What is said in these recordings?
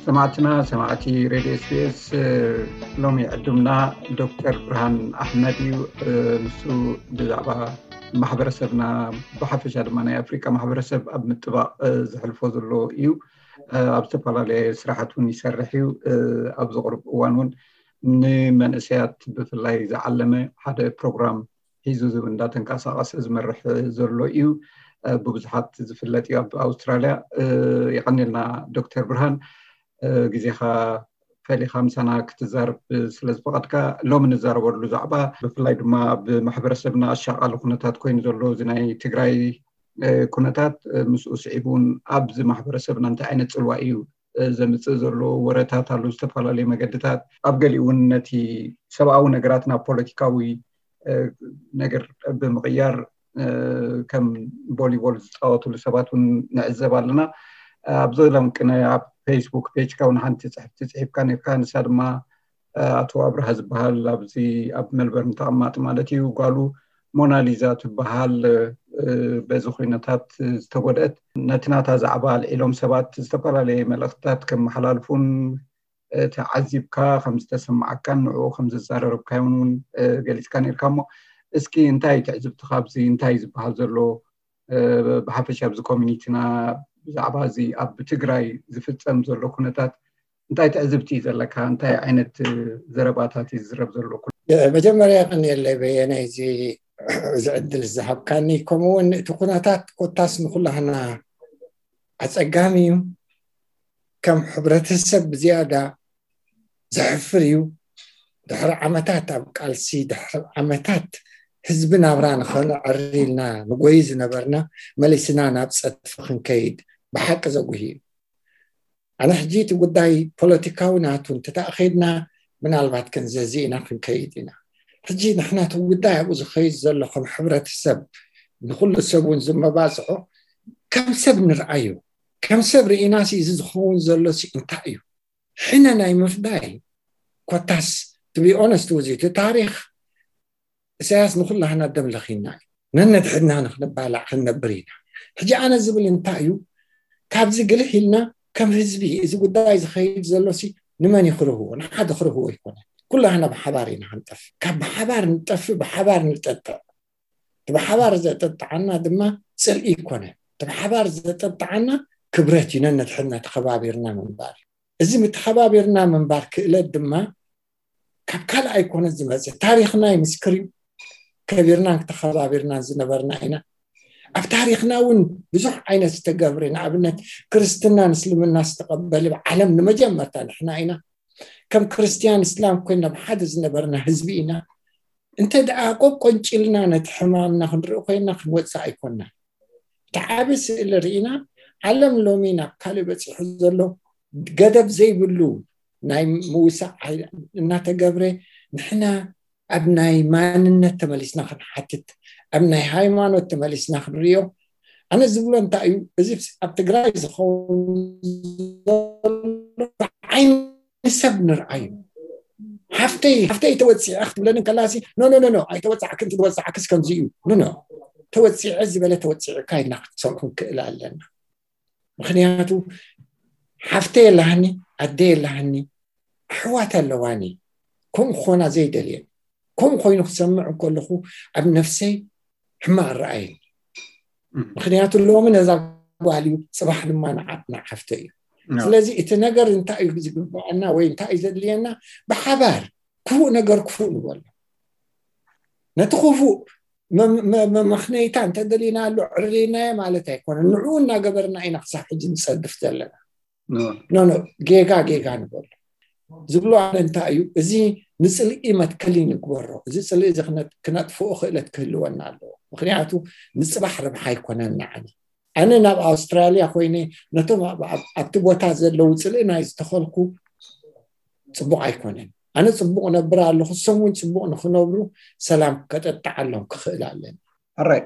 ሰማዕትና ሰማዕቲ ሬድዮ ኤስቢኤስ፣ ሎሚ ዕዱምና ዶክተር ብርሃን ኣሕመድ እዩ። ንሱ ብዛዕባ ማሕበረሰብና፣ ብሓፈሻ ድማ ናይ ኣፍሪቃ ማሕበረሰብ ኣብ ምጥባቕ ዘሕልፎ ዘሎ እዩ። ኣብ ዝተፈላለየ ስራሓት እውን ይሰርሕ እዩ። ኣብዚ ቅርብ እዋን እውን ንመንእሰያት ብፍላይ ዝዓለመ ሓደ ፕሮግራም ሒዙ እንዳተንቀሳቐሰ ዝመርሕ ዘሎ እዩ። ብብዙሓት ዝፍለጥ እዩ ኣብ ኣውስትራልያ። የቐንየልና ዶክተር ብርሃን፣ ግዜኻ ፈሊኻ ምሳና ክትዛረብ ስለ ዝፈቐድካ። ሎሚ ንዛረበሉ ዛዕባ ብፍላይ ድማ ኣብ ማሕበረሰብና ኣሻቓሊ ኩነታት ኮይኑ ዘሎ እዚ ናይ ትግራይ ኩነታት፣ ምስኡ ስዒቡ እውን ኣብዚ ማሕበረሰብና እንታይ ዓይነት ፅልዋ እዩ ዘምፅእ ዘሎ ወረታት ኣሎ፣ ዝተፈላለዩ መገድታት። ኣብ ገሊኡ እውን ነቲ ሰብኣዊ ነገራት ናብ ፖለቲካዊ ነገር ብምቕያር ከም ቮሊቦል ዝፃወትሉ ሰባት እውን ንዕዘብ ኣለና። ኣብዚ ሎም ቅነ ኣብ ፌስቡክ ፔጅካ እውን ሓንቲ ፅሕፍቲ ፅሒፍካ ነርካ። ንሳ ድማ ኣቶ ኣብርሃ ዝበሃል ኣብዚ ኣብ ሜልበርን ተቐማጢ ማለት እዩ፣ ጓሉ ሞናሊዛ ትበሃል በዚ ኩነታት ዝተጎድአት፣ ነቲ ናታ ዛዕባ ኣልዒሎም ሰባት ዝተፈላለየ መልእኽትታት ከመሓላልፉን ተዓዚብካ ከም ዝተሰማዓካን ንዕኡ ከም ዘዛረረብካዮን እውን ገሊፅካ ነርካ። እሞ እስኪ እንታይ ትዕዝብትኻ ኣብዚ እንታይ ዝበሃል ዘሎ ብሓፈሻ ኣብዚ ኮሚኒቲና ብዛዕባ እዚ ኣብ ትግራይ ዝፍፀም ዘሎ ኩነታት እንታይ ትዕዝብቲ እዩ ዘለካ? እንታይ ዓይነት ዘረባታት እዩ ዝዝረብ ዘሎ? መጀመርያ የቐንየለይ በየነ እዚ እዚ ዕድል ዝሃብካኒ፣ ከምኡውን እቲ ኩነታት ኮታስ ንኩላህና ኣፀጋሚ እዩ። ከም ሕብረተሰብ ብዝያዳ ዘሕፍር እዩ። ድሕሪ ዓመታት ኣብ ቃልሲ፣ ድሕሪ ዓመታት ህዝቢ ናብራ ንኸነዕሪ ኢልና ንጎይ ዝነበርና መሊስና ናብ ፀድፊ ክንከይድ ብሓቂ ዘጉሂ እዩ። ኣነ ሕጂ እቲ ጉዳይ ፖለቲካዊ ናቱ እንተተኣኸድና ምናልባት ክንዘዚ ኢና ክንከይድ ኢና። ሕጂ ንሕና እቲ ጉዳይ ኣብኡ ዝኸይድ ዘሎ ከም ሕብረተሰብ ንኩሉ ሰብ እውን ዝመባፅዖ ከም ሰብ ንርኣዮ። ከም ሰብ ርኢና ሲ እዚ ዝኸውን ዘሎ ሲ እንታይ እዩ? ሕነ ናይ ምፍዳይ ኮታስ ትቢ ኦነስት ውዚ እቲ ታሪኽ ኢሳያስ ንኩላህና ደም ለኺና እዩ። ነነድሕድና ንክንባላዕ ክንነብር ኢና። ሕጂ ኣነ ዝብል እንታይ እዩ? ካብዚ ግልህ ኢልና ከም ህዝቢ እዚ ጉዳይ ዝኸይድ ዘሎ ሲ ንመን እዩ ክርህዎ? ንሓደ ክርህዎ ኣይኮነ። ኩላህና ብሓባር ኢና ክንጠፍ። ካብ ብሓባር ንጠፍ፣ ብሓባር ንጠጥዕ። እቲ ብሓባር ዘጠጥዓና ድማ ጽልኢ ይኮነ። እቲ ብሓባር ዘጠጥዓና ክብረት እዩ። ነነድሕድና ተኸባቢርና ምንባር እዩ። እዚ ምተኸባቢርና ምንባር ክእለት ድማ ካብ ካልእ ኣይኮነ ዝመጽእ። ታሪኽና ይምስክር እዩ። ከቢርናን ተኸባቢርናን ዝነበርና ኢና። ኣብ ታሪኽና እውን ብዙሕ ዓይነት ዝተገብረ፣ ንኣብነት ክርስትናን እስልምና ዝተቐበለ ዓለም ንመጀመርታ ንሕና ኢና። ከም ክርስትያን እስላም ኮይና ብሓደ ዝነበርና ህዝቢ ኢና። እንተ ደኣ ቆቆንጭልና ነቲ ሕማምና ክንርኢ ኮይና ክንወጽእ ኣይኮንና። እቲ ዓቢ ስእሊ ርኢና ዓለም ሎሚ ናብ ካልእ በጺሑ ዘሎ ገደብ ዘይብሉ ናይ ምውሳእ ሓይሊ እናተገብረ ንሕና ኣብ ናይ ማንነት ተመሊስና ክንሓትት፣ ኣብ ናይ ሃይማኖት ተመሊስና ክንሪኦ። ኣነ ዝብሎ እንታይ እዩ፣ እዚ ኣብ ትግራይ ዝኸውን ዘሎ ብዓይኒ ሰብ ንርኣዩ። ሓፍተይ ሓፍተይ ተወፂዐ ክትብለኒ ከላሲ ኖ ኖ ኖ ኖ ኣይተወፃዕክን፣ ተወፃዕክስ ከምዚ እዩ ኖ ኖ ተወፂዐ ዝበለ ተወፂዕካ ኢልና ክትሰምዑ ንክእል ኣለና። ምክንያቱ ሓፍተይ የላሃኒ፣ ኣደ የላሃኒ፣ ኣሕዋት ኣለዋኒ። ከምኡ ክኾና ዘይደልየን። ከምኡ ኮይኑ ክሰምዕ እንከለኹ ኣብ ነፍሰይ ሕማቕ ረኣየኒ። ምክንያቱ ሎሚ ነዛ ጓል እዩ፣ ፅባሕ ድማ ንዓ- ንዓፍተ እዩ። ስለዚ እቲ ነገር እንታይ እዩ ዝግባኣና ወይ እንታይ እዩ ዘድልየና? ብሓባር ክፉእ ነገር ክፉእ ንበሎ። ነቲ ክፉእ መ- መ- መመኽነይታ እንተደሊናሉ ዕርናዮ ማለት ኣይኮነን። ንዕኡ እናገበርና ኢና ክሳብ ሕጂ ንፀድፍ ዘለና። ኖ ኖ ጌጋ ጌጋ ንበሎ። ዝብሎ ኣነ እንታይ እዩ፣ እዚ ንፅልኢ መትከሊ ንግበሮ። እዚ ፅልኢ እዚ ክነ- ክነጥፍኦ ክእለት ክህልወና ኣለዎ። ምክንያቱ ንፅባሕ ረብሓ ኣይኮነን ንዓና። ኣነ ናብ ኣውስትራልያ ኮይነ ነቶም ኣብ- ኣብ- ኣብቲ ቦታ ዘለዉ ፅልኢ ናይ ዝተኸልኩ ፅቡቕ ኣይኮነን። ኣነ ፅቡቕ ነብር ኣለኹ፣ እሶም እውን ፅቡቕ ንክነብሩ ሰላም ከጠጣዓሎም ክኽእል ኣለኒ። ኣራይ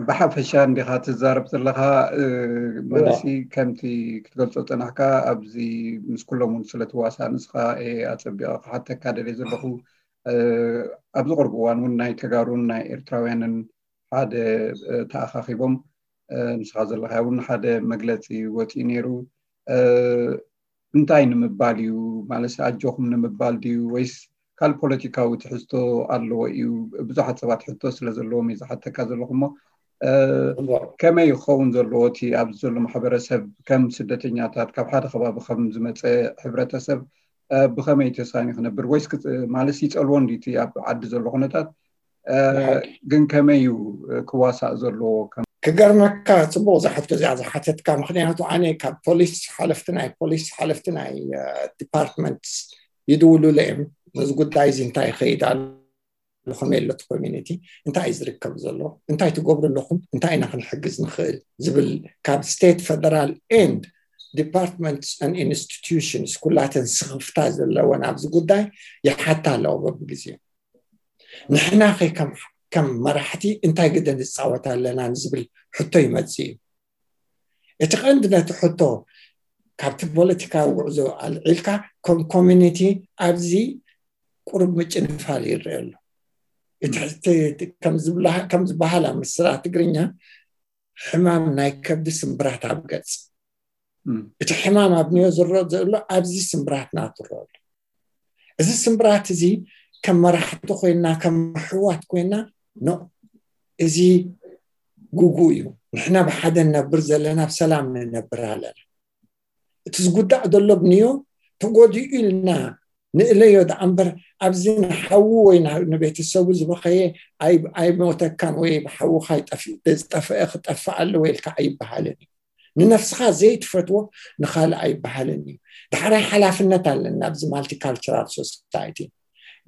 ብሓፈሻ እንዲኻ ትዛረብ ዘለኻ። መለሲ ከምቲ ክትገልጾ ጸናሕካ ኣብዚ ምስ ኩሎም እውን ስለ ትዋሳእ ንስኻ እየ ኣጸቢቐ ክሓተካ ደልየ ዘለኹ። ኣብዚ ቅርብ እዋን እውን ናይ ተጋሩን ናይ ኤርትራውያንን ሓደ ተኣኻኺቦም፣ ንስኻ ዘለኻ እውን ሓደ መግለጺ ወፂኡ ነይሩ። እንታይ ንምባል እዩ? ማለት ኣጆኹም ንምባል ድዩ ወይስ ካልእ ፖለቲካዊ ትሕዝቶ ኣለዎ እዩ? ብዙሓት ሰባት ሕቶ ስለ ዘለዎም እዩ ዝሓተካ ዘለኹ እሞ ከመይ ይኸውን ዘለዎ እቲ ኣብዚ ዘሎ ማሕበረሰብ ከም ስደተኛታት ካብ ሓደ ከባቢ ከም ዝመፀ ሕብረተሰብ ብኸመይ ተሳኒ ክነብር ወይስ ማለት ይፀልዎ እንዲ እቲ ኣብ ዓዲ ዘሎ ኩነታት ግን ከመይ እዩ ክዋሳእ ዘለዎ? ክገርመካ ፅቡቅ ዝሓቶ እዚኣ ዝሓተትካ ምክንያቱ ኣነ ካብ ፖሊስ ሓለፍቲ ናይ ፖሊስ ሓለፍቲ ናይ ዲፓርትመንት ይድውሉለ እዮም። ነዚ ጉዳይ እዚ እንታይ ይኸይድ ኣሎ፣ ከመይ ኣሎ እቲ ኮሚኒቲ፣ እንታይ እዩ ዝርከብ ዘሎ፣ እንታይ ትገብሩ ኣለኹም፣ እንታይ ኢና ክንሕግዝ ንኽእል ዝብል ካብ ስቴት፣ ፈደራል ኤንድ ዲፓርትመንትስ ን ኢንስቲትዩሽንስ ኩላተን ስኽፍታ ዘለወን ኣብዚ ጉዳይ ይሓታ ኣለዎ በብግዜኡ። ንሕና ከ ከም ከም መራሕቲ እንታይ ግደ ንፃወት ኣለና ንዝብል ሕቶ ይመፅእ እዩ። እቲ ቀንዲ ነቲ ሕቶ ካብቲ ፖለቲካዊ ጉዕዞ ኣልዒልካ ከም ኮሚኒቲ ኣብዚ ቁሩብ ምጭንፋል ይረአ ኣሎ። እቲ ሕቲ ከም ዝበሃል ኣብ ምስላ ትግርኛ ሕማም ናይ ከብዲ ስምብራት ኣብ ገፅ እቲ ሕማም ኣብ ንዮ ዝረኦ ዘሎ ኣብዚ ስምብራትና ትረኦ ኣሎ። እዚ ስምብራት እዚ ከም መራሕቲ ኮይና ከም ኣሕዋት ኮይና ኖ እዚ ጉጉ እዩ። ንሕና ብሓደ ንነብር ዘለና ብሰላም ንነብር ኣለና። እቲ ዝጉዳእ ዘሎ ብንዮ ተጎዲኡ ኢልና ንእለዮ ደኣ እምበር ኣብዚ ንሓዉ ወይ ንቤተሰቡ ዝበኸየ ኣይሞተካን ወይ ብሓውኻ ዝጠፍአ ክጠፍእ ኣለዎ ኢልካ ኣይበሃልን እዩ። ንነፍስኻ ዘይትፈትዎ ንኻልእ ኣይበሃልን እዩ። ዳሕራይ ሓላፍነት ኣለና ኣብዚ ማልቲካልቸራል ሶሳይቲ።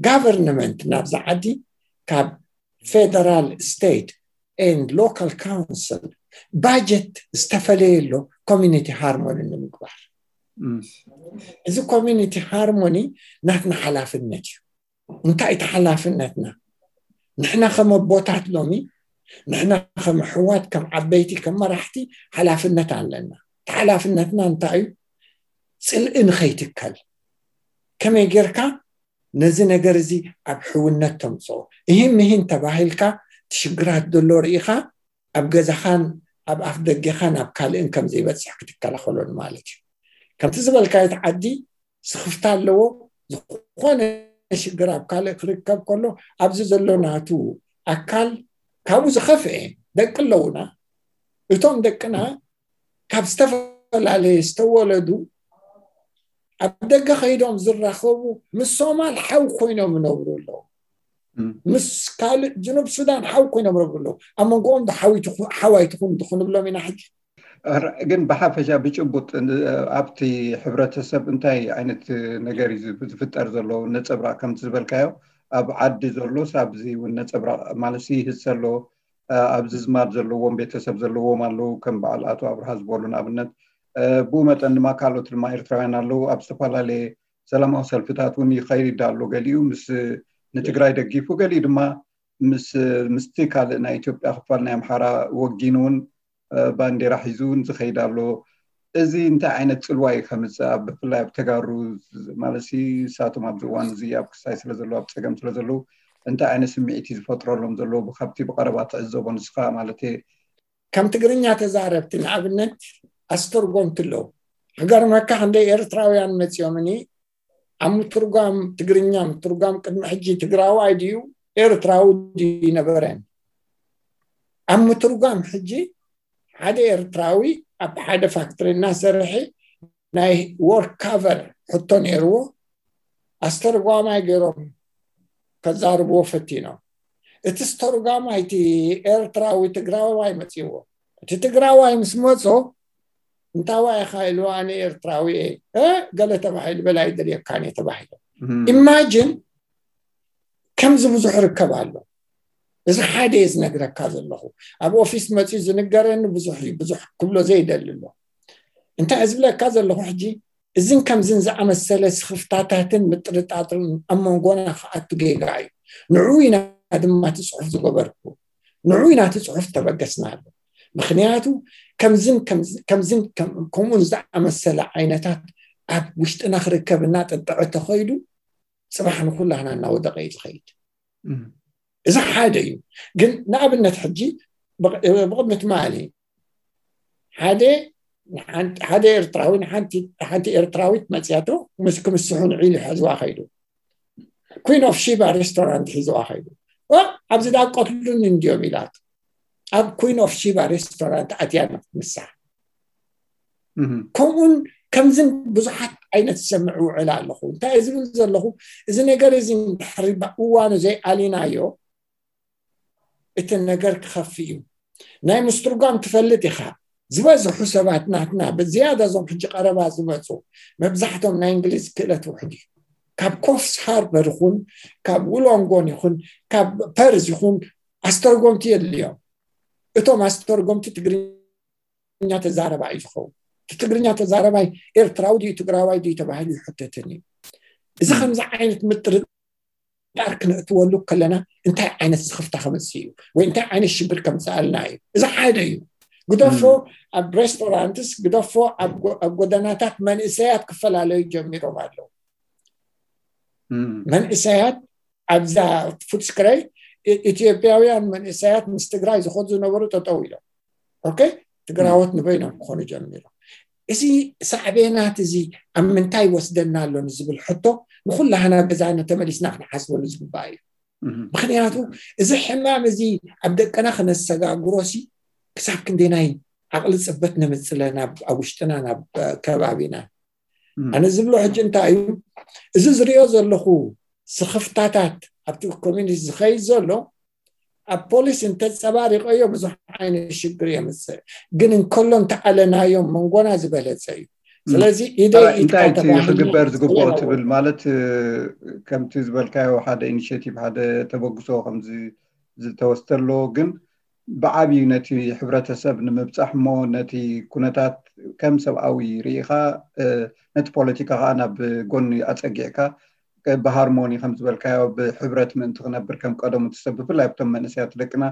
ጋቨርንመንት ናብዚ ዓዲ ካብ ፌደራል ስቴት ኤንድ ሎካል ካውንስል ባጀት ዝተፈለየ ኣሎ ኮሚኒቲ ሃርሞኒ ንምግባር። እዚ ኮሚኒቲ ሃርሞኒ ናትና ሓላፍነት እዩ። እንታይ እቲ ሓላፍነትና? ንሕና ከም ኣቦታት ሎሚ ንሕና ከም ኣሕዋት ከም ዓበይቲ ከም መራሕቲ ሓላፍነት ኣለና። እቲ ሓላፍነትና እንታይ እዩ? ፅልኢ ንኸይትከል ከመይ ጌርካ ነዚ ነገር እዚ ኣብ ሕውነት ተምፅኦ። እሂን ምሂን ተባሂልካ እቲ ሽግራት ዘሎ ርኢኻ ኣብ ገዛኻን ኣብ ኣፍ ደገኻን ኣብ ካልእን ከም ዘይበፅሕ ክትከላኸሎን ማለት እዩ። ከምቲ ዝበልካዮ እቲ ዓዲ ስኽፍታ ኣለዎ። ዝኾነ ሽግር ኣብ ካልእ ክርከብ ከሎ ኣብዚ ዘሎ ናቱ ኣካል ካብኡ ዝኸፍአ ደቂ ኣለውና። እቶም ደቅና ካብ ዝተፈላለየ ዝተወለዱ ኣብ ደገ ከይዶም ዝራኸቡ ምስ ሶማል ሓው ኮይኖም ይነብሩ ኣለዉ። ምስ ካልእ ጅኑብ ሱዳን ሓው ኮይኖም ይነብሩ ኣለዉ። ኣብ መንጎኦም ሓዋይ ትኹን ክንብሎም ኢና ሕጂ። ግን ብሓፈሻ ብጭቡጥ ኣብቲ ሕብረተሰብ እንታይ ዓይነት ነገር እዩ ዝፍጠር ዘሎ? ነፀብራቅ ከምቲ ዝበልካዮ ኣብ ዓዲ ዘሎስ ኣብዚ እውን ነፀብራቅ ማለት ይህዝ ዘሎ? ኣብዚ ዝማድ ዘለዎም ቤተሰብ ዘለዎም ኣለዉ፣ ከም በዓል ኣቶ ኣብርሃ ዝበሉ ንኣብነት። ብኡ መጠን ድማ ካልኦት ድማ ኤርትራውያን ኣለዉ ኣብ ዝተፈላለየ ሰላማዊ ሰልፍታት እውን ይኸይድ ኣሎ። ገሊኡ ምስ ንትግራይ ደጊፉ፣ ገሊኡ ድማ ምስ ምስቲ ካልእ ናይ ኢትዮጵያ ክፋል ናይ ኣምሓራ ወጊኑ እውን ባንዴራ ሒዙ እውን ዝኸይድ ኣሎ። እዚ እንታይ ዓይነት ፅልዋ እዩ ከምፅእ ኣብ ብፍላይ ኣብ ተጋሩ ማለት ንሳቶም ኣብዚ እዋን እዚ ኣብ ክሳይ ስለ ዘለዉ ኣብ ፀገም ስለ ዘለዉ እንታይ ዓይነት ስምዒት እዩ ዝፈጥረሎም ዘሎ ካብቲ ብቀረባ ትዕዘቦ ንስኻ ማለት? ከም ትግርኛ ተዛረብቲ ንኣብነት ኣስተርጎምቲ ኣለዉ። ክገርመካ ክንደይ ኤርትራውያን መፂኦምኒ ኣብ ምትርጓም ትግርኛ ምትርጓም ቅድሚ ሕጂ ትግራዋይ ድዩ ኤርትራዊ ድዩ ይነበረን። ኣብ ምትርጓም ሕጂ ሓደ ኤርትራዊ ኣብ ሓደ ፋክትሪ እናሰርሐ ናይ ወርክ ካቨር ሕቶ ነይርዎ። ኣስተርጓማይ ገይሮም ከዛርብዎ ፈቲኖም። እቲ ስተርጓማይ እቲ ኤርትራዊ ትግራዋይ መፂዎ። እቲ ትግራዋይ ምስ መፆ እንታዋይ ኢኻ ኢሉ ኣነ ኤርትራዊ እየ ገለ ተባሂሉ በላይ ደልየካን እየ ተባሂሉ። ኢማጅን ከምዚ ብዙሕ ርከብ ኣሎ። እዚ ሓደ እየ ዝነግረካ ዘለኹ። ኣብ ኦፊስ መፂኡ ዝንገረኒ ብዙሕ እዩ። ብዙሕ ክብሎ ዘይደሊ ኣሎ። እንታይ ዝብለካ ዘለኹ ሕጂ እዝን ከምዝን ዝኣመሰለ ስኽፍታታትን ምጥርጣጥርን ኣብ መንጎና ክኣቱ ጌጋ እዩ። ንዑ ኢና ድማ እቲ ፅሑፍ ዝገበርኩ። ንዑ ኢና እቲ ፅሑፍ ተበገስናሉ። ምክንያቱ ከምዝን ከምዝን ከምኡን ዝኣመሰለ ዓይነታት ኣብ ውሽጥና ክርከብ እናጠጠዐ ተኸይዱ ፅባሕ ንኩላህና እናወደቀ እዩ ዝኸይድ። እዚ ሓደ እዩ። ግን ንኣብነት ሕጂ ብቕድሚ ትማሊ ሓደ ንሓንቲ- ሓደ ኤርትራዊ ንሓንቲ ሓንቲ ኤርትራዊት መፅያቶ ምስ ክምስሑ ንዒሉ ሒዝዋ ከይዱ። ኩን ኦፍ ሺባ ሬስቶራንት ሒዝዋ ከይዱ። ኦ፣ ኣብዚ ዳ ቀትሉኒ እንድዮም ኢላት ኣብ ኩን ኦፍ ሺባ ሬስቶራንት ኣትያ ንክትምሳሕ። ከምኡን ከምዝን ብዙሓት ዓይነት ዝሰምዕ ውዕል ኣለኹ። እንታይ ዝብል ዘለኹ፣ እዚ ነገር እዚ ድሕሪ እዋኑ ዘይኣሊናዮ እቲ ነገር ክኸፍእ እዩ። ናይ ምስትርጓም ትፈልጥ ኢኻ። ዝበዝሑ ሰባት ናትና ብዝያዳ እዞም ሕጂ ቀረባ ዝመፁ መብዛሕቶም ናይ እንግሊዝ ክእለት ውሕድ እዩ። ካብ ኮፍስ ሃርበር ይኹን ካብ ውሎንጎን ይኹን ካብ ፐርዝ ይኹን ኣስተርጎምቲ የድልዮም። እቶም ኣስተርጎምቲ ትግርኛ ተዛረባ እዩ ዝኸውን። እቲ ትግርኛ ተዛረባይ ኤርትራዊ ድዩ ትግራዋይ ድዩ ተባሂሉ ይሕተትን እዩ። እዚ ከምዚ ዓይነት ምጥርጣር ክነእትወሉ ከለና እንታይ ዓይነት ስኽፍታ ከምፅእ እዩ ወይ እንታይ ዓይነት ሽግር ከምፅኣልና እዩ። እዚ ሓደ እዩ። ግደፎ ኣብ ሬስቶራንትስ ግደፎ ኣብ ጎ- ኣብ ጎደናታት መንእሰያት ክፈላለዩ ጀሚሮም ኣለዉ። መንእሰያት ኣብዛ ፉትስክረይ ኢትዮጵያውያን መንእሰያት ምስ ትግራይ ዝኸዱ ዝነበሩ ጠጠው ኢሎም። ኦኬ፣ ትግራዎት ንበይኖም ክኾኑ ጀሚሮም። እዚ ሳዕቤናት እዚ ኣብ ምንታይ ይወስደና ኣሎ ንዝብል ሕቶ ንኩላህና ገዛና ተመሊስና ክንሓስበሉ ዝግባእ እዩ። ምክንያቱ እዚ ሕማም እዚ ኣብ ደቅና ክነሰጋግሮሲ ክሳብ ክንደናይ ዓቕሊ ፅበት ነምፅለና ኣብ ውሽጥና ናብ ከባቢና። ኣነ ዝብሎ ሕጂ እንታይ እዩ፣ እዚ ዝሪኦ ዘለኹ ስኽፍታታት ኣብቲ ኮሚኒቲ ዝኸይድ ዘሎ ኣብ ፖሊስ እንተፀባሪቀዮ ብዙሕ ዓይነት ሽግር የምፅእ፣ ግን እንከሎ እንተኣለናዮም መንጎና ዝበለፀ እዩ። ስለዚ ኢደይ ኢድካ እንታይ እቲ ተባሂሉ ክግበር ዝግብኦ ዝለዎ ትብል ማለት እ፣ ከምቲ ዝበልካዮ ሓደ ኢኒሽቲቭ ሓደ ተበግሶ ከምዚ ዝተወስደ ኣሎ፣ ግን ብዓብዩ ነቲ ሕብረተሰብ ንምብፃሕ እሞ ነቲ ኩነታት ከም ሰብኣዊ ርኢኻ እ፣ ነቲ ፖለቲካ ከዓ ናብ ጎኒ ኣፀጊዕካ እ፣ ብሃርሞኒ ከም ዝበልካዮ ብሕብረት ምእንቲ ክነብር ከም ቀደሙ ትሰብ ብፍላይ ኣብቶም መንእሰያት ደቅና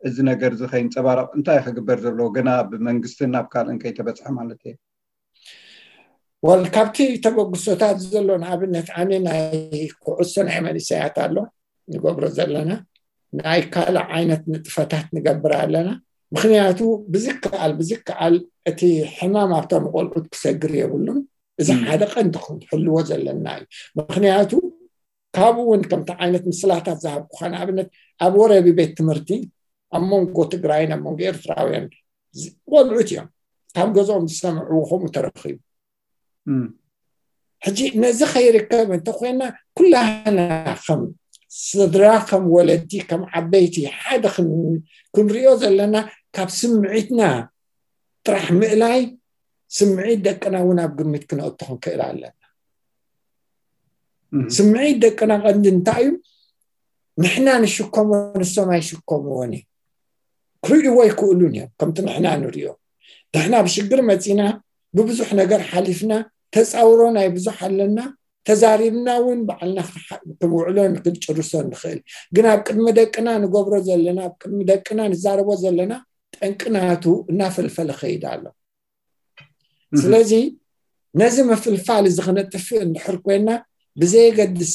እዚ ነገር እዚ ከይንፀባረቕ እንታይ ክግበር ዘለዎ ገና ብመንግስትን ናብ ካልእን ከይተበፅሐ ማለት እየ። ወል ካብቲ ተበግሶታት ዘሎ ንኣብነት ኣነ ናይ ኩዕሶ ናይ መንእሰያት ኣሎ ንገብሮ ዘለና ናይ ካልእ ዓይነት ንጥፈታት ንገብር ኣለና። ምክንያቱ ብዝከኣል ብዝከኣል እቲ ሕማም ኣብቶም ቆልዑት ክሰግር የብሉን። እዚ ሓደ ቀንዲ ክንሕልዎ ዘለና እዩ። ምክንያቱ ካብኡ እውን ከምቲ ዓይነት ምስላታት ዝሃብኩካ ንኣብነት ኣብ ወረቢ ቤት ትምህርቲ ኣብ መንጎ ትግራይን ኣብ መንጎ ኤርትራውያን ዝ- ቆልዑት እዮም ካብ ገዝኦም ዝሰምዕዎ ከምኡ ተረኺቡ። ሕጂ ነዚ ከይርከብ እንተኮይና ኩላህና ከም ስድራ ከም ወለዲ ከም ዓበይቲ ሓደ ክን- ክንሪኦ ዘለና ካብ ስምዒትና ጥራሕ ምእላይ ስምዒት ደቅና እውን ኣብ ግምት ክነእቶ ክንክእል ኣለና። ስምዒት ደቅና ቀንዲ እንታይ እዩ? ንሕና ንሽከሞ ንሶም ኣይሽከምዎን እዮም። ክርእይዎ ኣይክእሉን እዮም። ከምቲ ንሕና ንሪኦ ንሕና ብሽግር መፂና ብብዙሕ ነገር ሓሊፍና ተፃውሮ ናይ ብዙሕ ኣለና ተዛሪብና እውን ባዕልና ክንውዕሎ ክንጭርሶ ንኽእል። ግን ኣብ ቅድሚ ደቅና ንገብሮ ዘለና ኣብ ቅድሚ ደቅና ንዛረቦ ዘለና ጠንቅናቱ እናፈልፈለ ኸይድ ኣሎ። ስለዚ ነዚ ምፍልፋል እዚ ክነጥፍእ እንድሕር ኮይና ብዘየገድስ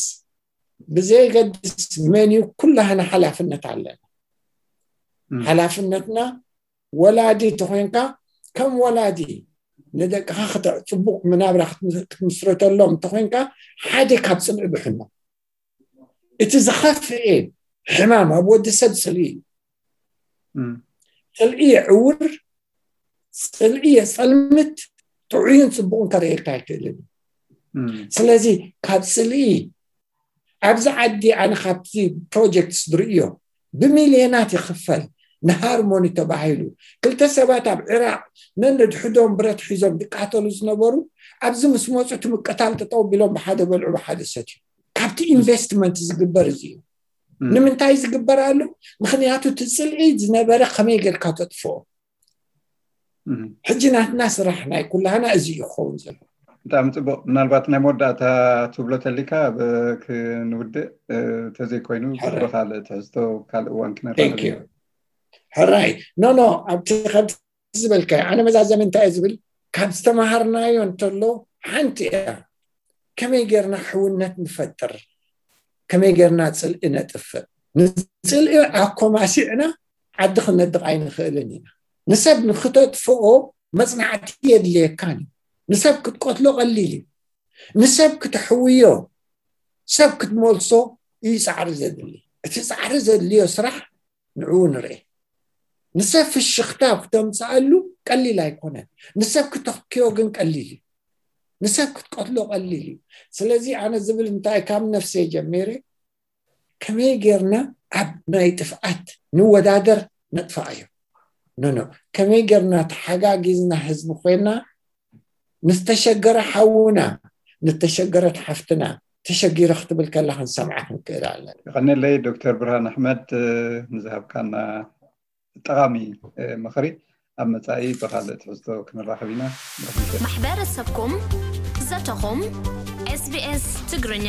ብዘየገድስ መን እዩ ኩላህና ሓላፍነት ኣለና። ሓላፍነትና ወላዲ እንተኮይንካ ከም ወላዲ ንደቅኻ ክተ- ፅቡቅ መናብራ ክትም- ክትምስረተሎም እንተኮይንካ ሓደ ካብ ፅልኢ ብሕኖ እቲ ዝኸፍኤ ሕማም ኣብ ወዲ ሰብ ፅልኢ እዩ። ፅልኢ የዕውር፣ ፅልኢ የፀልምት፣ ጥዑይን ፅቡቅን ከርእየልካ ኣይክእልን እዩ። ስለዚ ካብ ፅልኢ ኣብዚ ዓዲ ኣነ ካብቲ ፕሮጀክትስ ዝርእዮ ብሚልዮናት ይኽፈል ንሃርሞኒ ተባሂሉ ክልተ ሰባት ኣብ ዕራቕ ነንድሕዶም ብረት ሒዞም ዝቃተሉ ዝነበሩ ኣብዚ ምስ መፁ እቲ ምቅታል ጠጠው ቢሎም ብሓደ በልዑ ብሓደ ሰትዩ ካብቲ ኢንቨስትመንት ዝግበር እዚ እዩ። ንምንታይ ዝግበር ኣሎ? ምክንያቱ እቲ ፅልኢ ዝነበረ ከመይ ጌርካ ተጥፍኦ። ሕጂ ናትና ስራሕ ናይ ኩላህና እዚ እዩ ክኸውን ዘሎ። ብጣዕሚ ፅቡቅ። ምናልባት ናይ መወዳእታ ትብሎ ተሊካ ብ- ክንውድእ እ፣ ተዘይኮይኑ ሕራይ። ብካልእ ትሕዝቶ ካልእ እዋን ክነራኸብ ኢና። ሕራይ ኖ ኖ ኣብቲ ከምቲ ዝበልካዮ ኣነ መዛዘሚ እንታይ እየ ዝብል ካብ ዝተምሃርናዮ እንተሎ ሓንቲ እያ ከመይ ጌርና ሕውነት ንፈጥር ከመይ ጌርና ፅልኢ ነጥፍእ ንፅልኢ ኣኮማሲዕና ዓዲ ክነድቕ ኣይንኽእልን ኢና ንሰብ ንክተጥፍኦ መፅናዕቲ የድልየካን እዩ። ንሰብ ክትቀትሎ ቀሊል እዩ። ንሰብ ክትሕውዮ፣ ሰብ ክትመልሶ እዩ ፃዕሪ ዘድሊ። እቲ ፃዕሪ ዘድልዮ ስራሕ ንዕኡ ንርኤ። ንሰብ ፍሽኽታ ክተምፅኣሉ ቀሊል ኣይኮነን። ንሰብ ክተክዮ ግን ቀሊል እዩ። ንሰብ ክትቀትሎ ቀሊል እዩ። ስለዚ ኣነ ዝብል እንታይ፣ ካብ ነፍሰይ ጀሚረ ከመይ ጌርና ኣብ ናይ ጥፍኣት ንወዳደር ነጥፍኣዮ? ኖ ኖ፣ ከመይ ጌርና ተሓጋጊዝና ህዝቢ ኮይና ንዝተሸገረ ሓውና፣ ንተሸገረት ሓፍትና፣ ተሸጊረ ክትብል ከላ ክንሰምዓ ክንክእል ኣለና። ይቐነለይ ዶክተር ብርሃን ኣሕመድ፣ ንዝሃብካና ጠቓሚ ምኽሪ። ኣብ መጻኢ ብኻልእ ትሕዝቶ ክንራኸብ ኢና። ማሕበረሰብኩም ዘተኹም። ኤስቢኤስ ትግርኛ።